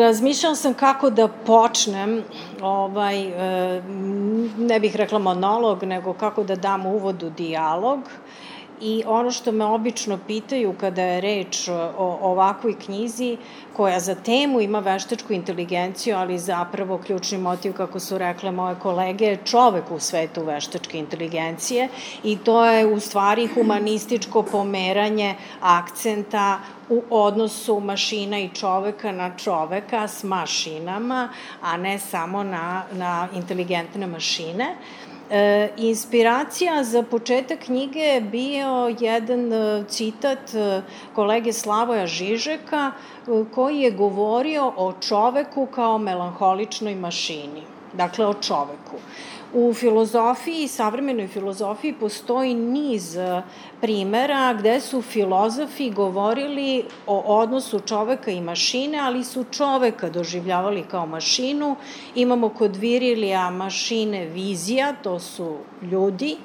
razmišljala sam kako da počnem, ne bih rekla monolog, nego kako da dam uvod u dijalog. I ono što me obično pitaju kada je reč o ovakvoj knjizi, koja za temu ima veštačku inteligenciju, ali zapravo ključni motiv, kako su rekle moje kolege, je čovek u svetu veštačke inteligencije i to je u stvari humanističko pomeranje akcenta u odnosu mašina i čoveka na čoveka s mašinama, a ne samo na inteligentne mašine. Inspiracija za početak knjige je bio jedan citat kolege Slavoja Žižeka koji je govorio o čoveku kao melanholičnoj mašini, dakle o čoveku. U filozofiji, savremenoj filozofiji, postoji niz primera gde su filozofi govorili o odnosu čoveka i mašine, ali su čoveka doživljavali kao mašinu. Imamo kod Virilija mašine vizija, to su ljudi.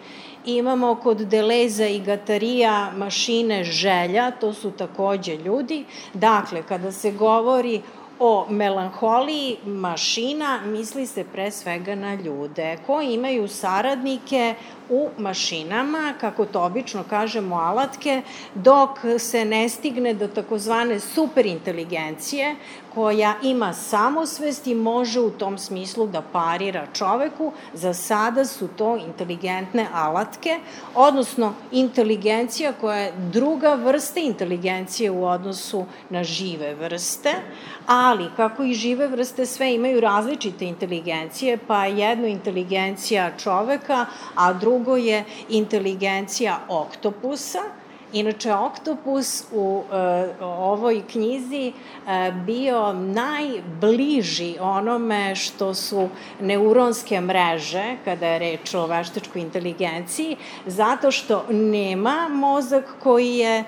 Imamo kod Deleza i Gatarija mašine želja, to su takođe ljudi. Dakle, kada se govori o melanholiji mašina, misli se pre svega na ljude koji imaju saradnike u mašinama, kako to obično kažemo, alatke, dok se ne stigne do takozvane superinteligencije, koja ima samosvest i može u tom smislu da parira čoveku. Za sada su to inteligentne alatke, odnosno inteligencija koja je druga vrsta inteligencije u odnosu na žive vrste, ali kako i žive vrste sve imaju različite inteligencije, pa jedno inteligencija čoveka, a drugo je inteligencija oktopusa. Inače, oktopus u ovoj knjizi bio najbliži onome što su neuronske mreže, kada je reč o veštačkoj inteligenciji, zato što nema mozak koji je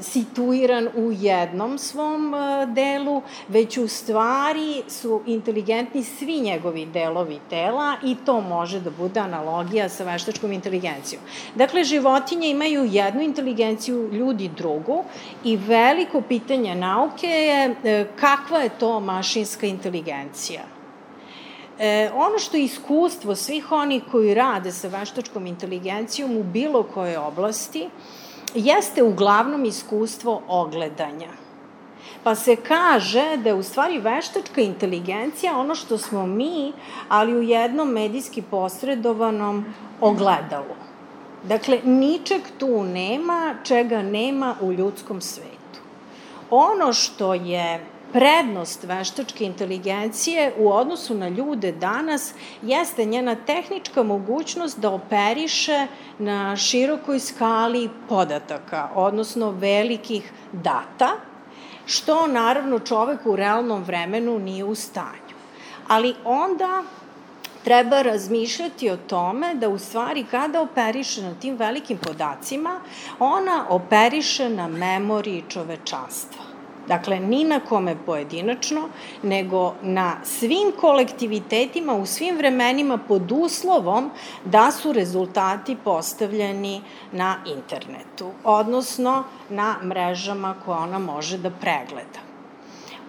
situiran u jednom svom delu, već u stvari su inteligentni svi njegovi delovi tela i to može da bude analogija sa veštačkom inteligencijom. Dakle, životinje imaju jednu inteligenciju, ljudi drugu i veliko pitanje nauke je kakva je to mašinska inteligencija. Ono što je iskustvo svih onih koji rade sa veštačkom inteligencijom u bilo kojoj oblasti jeste uglavnom iskustvo ogledanja. Pa se kaže da je u stvari veštačka inteligencija ono što smo mi, ali u jednom medijski posredovanom ogledalu. Dakle, ničeg tu nema čega nema u ljudskom svetu. Ono što je prednost veštačke inteligencije u odnosu na ljude danas jeste njena tehnička mogućnost da operiše na širokoj skali podataka, odnosno velikih data, što naravno čovek u realnom vremenu nije u stanju. Ali onda treba razmišljati o tome da u stvari kada operiše na tim velikim podacima, ona operiše na memoriji čovečanstva. Dakle, ni na kome pojedinačno, nego na svim kolektivitetima u svim vremenima pod uslovom da su rezultati postavljeni na internetu, odnosno na mrežama koje ona može da pregleda.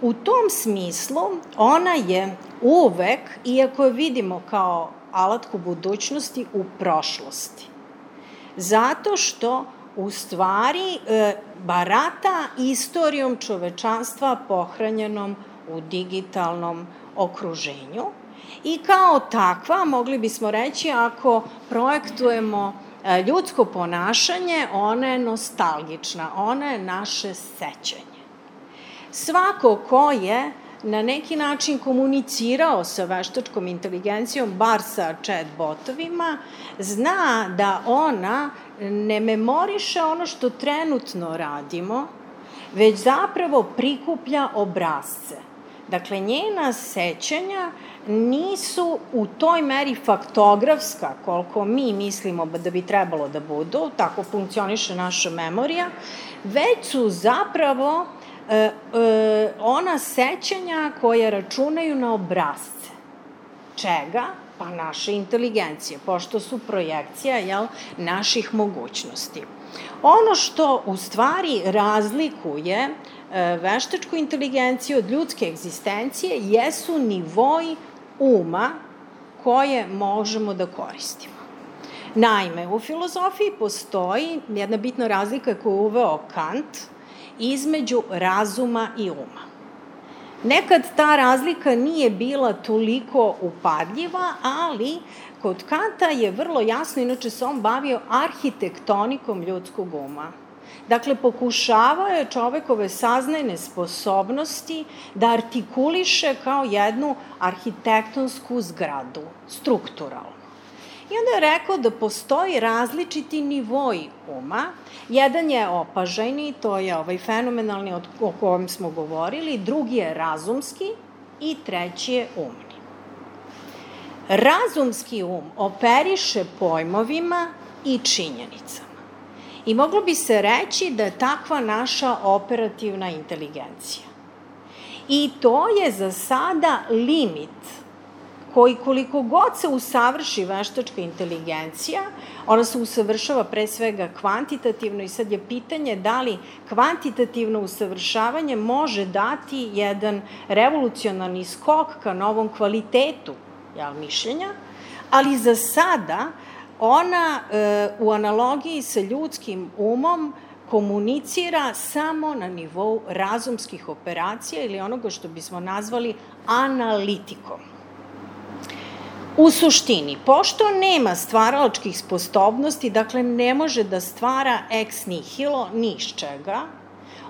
U tom smislu ona je uvek, iako je vidimo kao alatku budućnosti, u prošlosti. Zato što u stvari barata istorijom čovečanstva pohranjenom u digitalnom okruženju i kao takva, mogli bismo reći, ako projektujemo ljudsko ponašanje, ona je nostalgična, ona je naše sećanje. Svako ko je na neki način komunicirao sa veštačkom inteligencijom, bar sa chat-botovima, zna da ona ne memoriše ono što trenutno radimo, već zapravo prikuplja obrazce. Dakle, njena sećanja nisu u toj meri faktografska, koliko mi mislimo da bi trebalo da budu, tako funkcioniše naša memorija, već su zapravo ona sećanja koja računaju na obrazce. Čega? Pa naše inteligencije, pošto su projekcija naših mogućnosti. Ono što u stvari razlikuje veštačku inteligenciju od ljudske egzistencije jesu nivoi uma koje možemo da koristimo. Naime, u filozofiji postoji jedna bitna razlika koju je uveo Kant između razuma i uma. Nekad ta razlika nije bila toliko upadljiva, ali kod Kanta je vrlo jasno, inače se on bavio arhitektonikom ljudskog uma. Dakle, pokušavao je čovekove saznajne sposobnosti da artikuliše kao jednu arhitektonsku zgradu, strukturalno. I onda je rekao da postoji različiti nivoji uma. Jedan je opažajni, to je fenomenalni o kojem smo govorili, drugi je razumski i treći je umni. Razumski um operiše pojmovima i činjenicama. I moglo bi se reći da je takva naša operativna inteligencija. I to je za sada limit koji koliko god se usavrši veštačka inteligencija, ona se usavršava pre svega kvantitativno i sad je pitanje da li kvantitativno usavršavanje može dati jedan revolucionarni skok ka novom kvalitetu mišljenja, ali za sada ona u analogiji sa ljudskim umom komunicira samo na nivou razumskih operacija ili onoga što bismo nazvali analitikom. U suštini, pošto nema stvaralačkih sposobnosti, dakle ne može da stvara ex nihilo ni iz čega,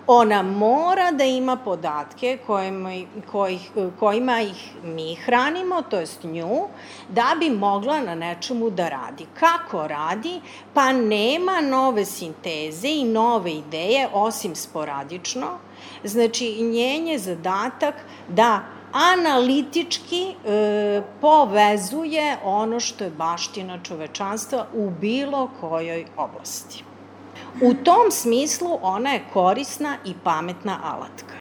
ona mora da ima podatke kojima ih mi hranimo, to jest nju, da bi mogla na nečemu da radi. Kako radi? Pa nema nove sinteze i nove ideje, osim sporadično. Znači, njen je zadatak da analitički povezuje ono što je baština čovečanstva u bilo kojoj oblasti. U tom smislu ona je korisna i pametna alatka.